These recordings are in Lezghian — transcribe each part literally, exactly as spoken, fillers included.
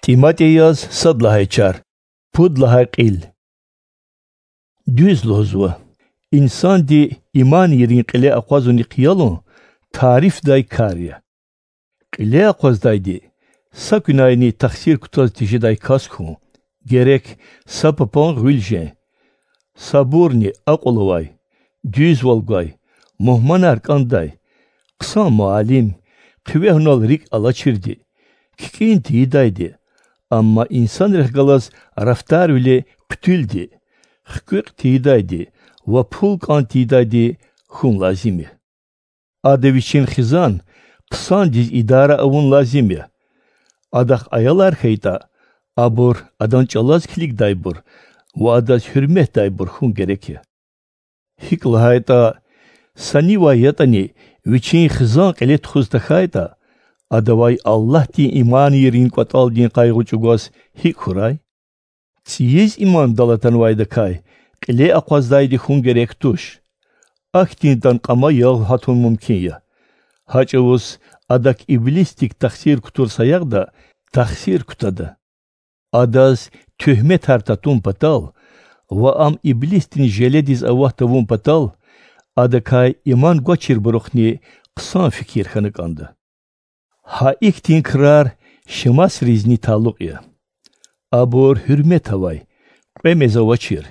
ТӀиматӀияз сад лагьай чар, пуд лагьай кьил. Дуьз лугьузва: инсанди иманийрин кьиле акъвазунихъ ялун тарифдай кар я. Кьиле акъваздайди са куьнайни тахсир кутаз тежедай кас хьун, герек са папан гъуьл жен. Сабурни, акьул авай, дуьзвал гвай, мугьманар кӀандай, хъсан муаллим, хъуьвегьунал рикӀ алачирди, кикӀин тийидайди, амма инсанрихъ галаз рафтарвиле хъуьтуьлди, хкуькь тийидайди ва пул кӀан тийидайди хьун лазим я. Ада вичин хизан хъсандиз идара авун лазим я. Адахъ аялар хьайитӀа, абур адан чӀалаз килигдайбур ва адаз гьуьрметдайбур хьун герек я. ГьикӀ лагьайтӀа, са нивай ятӀани вичин хизан кьиле тухуз тахьайтӀа, адавай Аллагьдин иманийрин кӀватӀалдин къайгъу чӀугваз гьикӀ хьурай? ЦӀийиз имандал атанвайдакай кьиле акъваздайди хьун герек туш. Ахьтиндан кьама ягъ гьатун мумкин я. Гьа чӀавуз адак иблисдик тахсир кутур саягъда тахсир кутада. Адаз туьгьметар татун патал ва ам иблисдин желедиз ават тавун патал адакай иман гвачирбурухъни хъсан фикир хьана кӀанда. Гьа ихьтин крар Шемасризни талукь я. Абур гьуьрмет авай, кьве мез авачир,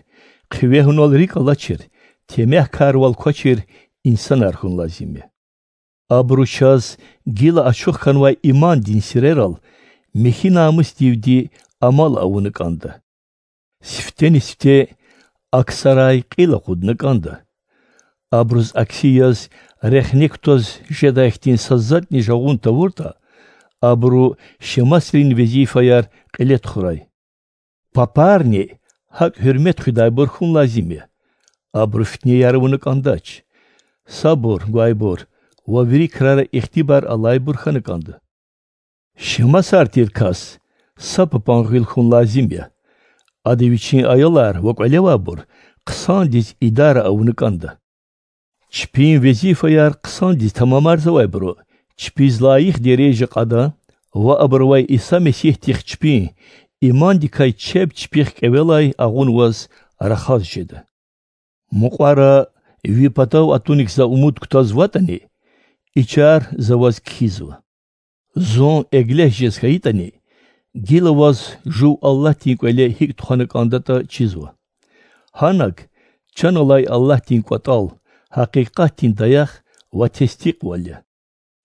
хъуьвегьунал рикӀ алачир, темягькарвал квачир инсанар хьун лазим я. Абуру чаз гила ачух хьанвай имандин сирерал михьи намусдивди амал авуна кӀанда. Сифтени-сифте аксарай кьил акъудна кӀанда. Абуруз акси яз рехне кутаз жедай хьтин са затӀни жагъун тавуртӀа, абуру Шемасрин везифаяр кьиле тухурай. Папарни гьакӀ гьуьрмет хуьдайбур хьун лазим я. Абуру фитнеяр авуна кӀандач. Сабур гвайбур ва вири крара ихтибар алайбур хьана кӀанда. Шемасар тир кас са папан гъуьл хьун лазим я. Ада вичин аялар ва кӀвале авайбур хъсандиз идара авуна кӀанда. Чпин везифаяр хъсандиз тамамарзавайбуру чпиз лайих дережа кьада ва абурувай Иса Месигьдихъ чпин имандикай чеб чпихъ кӀевелай агъунваз рахаз жеда. Мукьвара ви патав атуник за умуд кутазватӀани, и чар за ваз кхьизва. Зун эглех жез хьайитӀани, гила ваз жув Аллагьдин кӀвале гьикӀ тухвана кӀандатӀа чизва. Гьанаг чан алай Аллагьдин кӀватӀал, гьакъикъатдин даях ва тестикьвал я.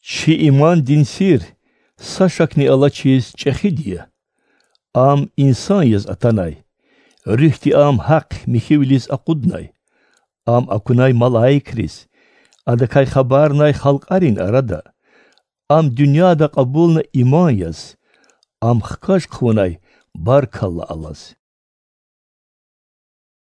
Чи имандин сир са шакни алачиз чӀехиди я. Ам инсан яз атанай, руьгьди ам гьахъ михьивилиз акъуднай. Ам акунай малаикриз, адакай хабарнай халкьарин арада. Ам дуьньяда кьабулна иман яз, ам хкаж хъувунай баркалла алаз.